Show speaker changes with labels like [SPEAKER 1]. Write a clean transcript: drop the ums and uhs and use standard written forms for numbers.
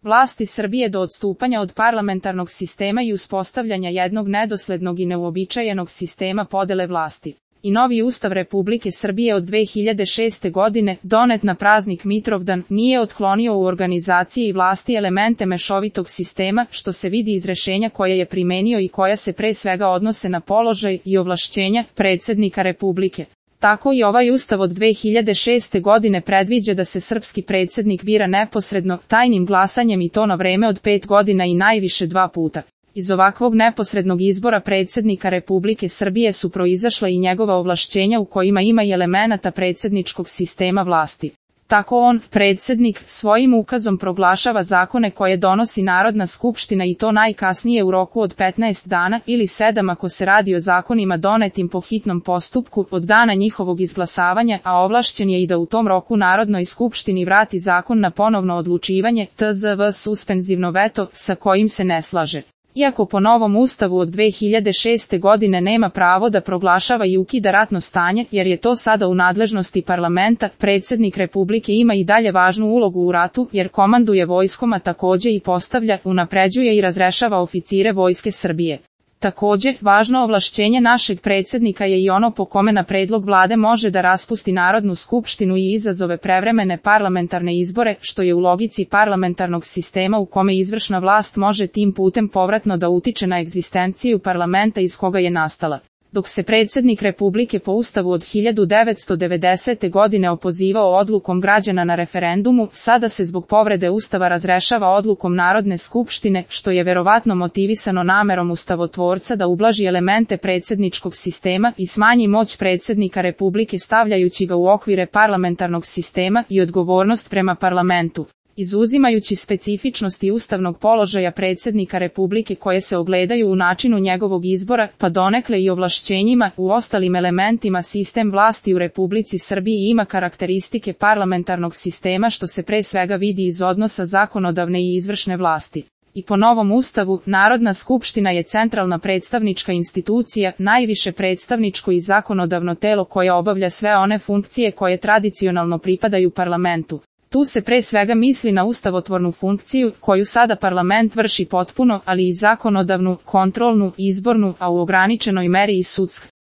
[SPEAKER 1] vlasti Srbije do odstupanja od parlamentarnog sistema i uspostavljanja jednog nedoslednog i neuobičajenog sistema podele vlasti. I novi Ustav Republike Srbije od 2006. godine, donet na praznik Mitrovdan, nije otklonio u organizaciji i vlasti elemente mešovitog sistema, što se vidi iz rešenja koje je primenio i koja se pre svega odnose na položaj i ovlašćenja predsjednika Republike. Tako i ovaj Ustav od 2006. godine predviđa da se srpski predsjednik bira neposredno, tajnim glasanjem i to na vreme od 5 godina i najviše 2 puta. Iz ovakvog neposrednog izbora predsjednika Republike Srbije su proizašla i njegova ovlašćenja u kojima ima i elemenata predsjedničkog sistema vlasti. Tako on, predsjednik, svojim ukazom proglašava zakone koje donosi Narodna skupština i to najkasnije u roku od 15 dana ili 7 ako se radi o zakonima donetim po hitnom postupku od dana njihovog izglasavanja, a ovlašćen je i da u tom roku Narodnoj skupštini vrati zakon na ponovno odlučivanje, tzv. suspenzivno veto, sa kojim se ne slaže. Iako po novom ustavu od 2006. godine nema pravo da proglašava i ukida ratno stanje, jer je to sada u nadležnosti parlamenta, predsjednik Republike ima i dalje važnu ulogu u ratu, jer komanduje vojskom, a takođe i postavlja, unapređuje i razrešava oficire Vojske Srbije. Takođe, važno ovlašćenje našeg predsjednika je i ono po kome na predlog vlade može da raspusti Narodnu skupštinu i izazove prevremene parlamentarne izbore, što je u logici parlamentarnog sistema u kome izvršna vlast može tim putem povratno da utiče na egzistenciju parlamenta iz koga je nastala. Dok se predsjednik Republike po Ustavu od 1990. godine opozivao odlukom građana na referendumu, sada se zbog povrede Ustava razrešava odlukom Narodne skupštine, što je verovatno motivisano namerom ustavotvorca da ublaži elemente predsjedničkog sistema i smanji moć predsjednika Republike stavljajući ga u okvire parlamentarnog sistema i odgovornost prema parlamentu. Izuzimajući specifičnosti ustavnog položaja predsjednika Republike koje se ogledaju u načinu njegovog izbora, pa donekle i ovlašćenjima, u ostalim elementima sistem vlasti u Republici Srbiji ima karakteristike parlamentarnog sistema što se pre svega vidi iz odnosa zakonodavne i izvršne vlasti. I po novom ustavu, Narodna skupština je centralna predstavnička institucija, najviše predstavničko i zakonodavno telo koje obavlja sve one funkcije koje tradicionalno pripadaju parlamentu. Tu se pre svega misli na ustavotvornu funkciju, koju sada parlament vrši potpuno, ali i zakonodavnu, kontrolnu, izbornu, a u ograničenoj meri i sudsku.